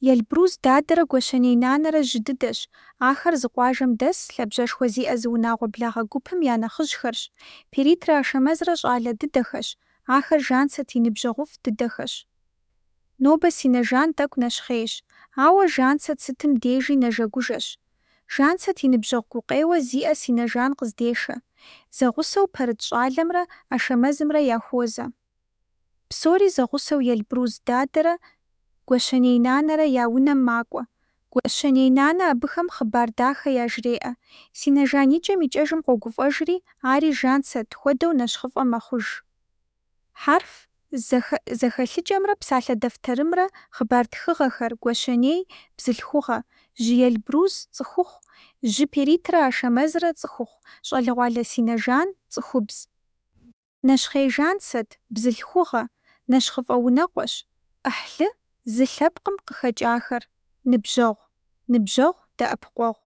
Елбрус дадэрэ Гуащэней нанэрэ жьы дыдэщ. Ахэр зы къуажэм дэс, лъабжьэшхуэ зиӏэ зы унагъуэ благъэ гупым я нэхъыжьхэрщ. Перитрэ Ашэмэзрэ щӏалэ дыдэхэщ. Ахэр Жанцэт и ныбжьэгъуфӏ дыдэхэщ. Нобэ си нэ Жан тӏэкӏу нэщхъейщ, ауэ Жанцэт сытым дежи нэжэгужэщ. Жанцэт и ныбжьэгъу гукъеуэ зиӏэ си нэ Жан къыздешэ. Зэгъусэу Пэрыт щӏалэмрэ Ашэмэзымрэ яхуозэ. Псори зэгъусэу Елбрус дадэрэ Гуащэней нанэрэ я унэм макӏуэ. Гуащэней нанэ абыхэм хъыбар дахэ яжреӏэ. Си нэ Жан икӏэм-икӏэжым къогуфӏэжри, ари Жанцэт хуэдэу нэщхъыфӏэ мэхъуж. Хьэрф зэхэлъыкӏэмрэ псалъэ дэфтэрымрэ хъыбар тхыгъэхэр: Гуащэней – бзылъхугъэ, жьы Елбрус – цӏыхухъу, жьы Перитрэ Ашэмэзрэ – цӏыхухъу, щӏалэгъуалэ си нэ Жан – цӏыхубз. Нэщхъей Жанцэт – бзылъхугъэ, нэщхъыфӏэ унэкъуэщ. Ӏыхьлы – зы лъэпкъым къыхэкӏахэр. Ныбжьэгъу – дэӏэпыкъуэгъу.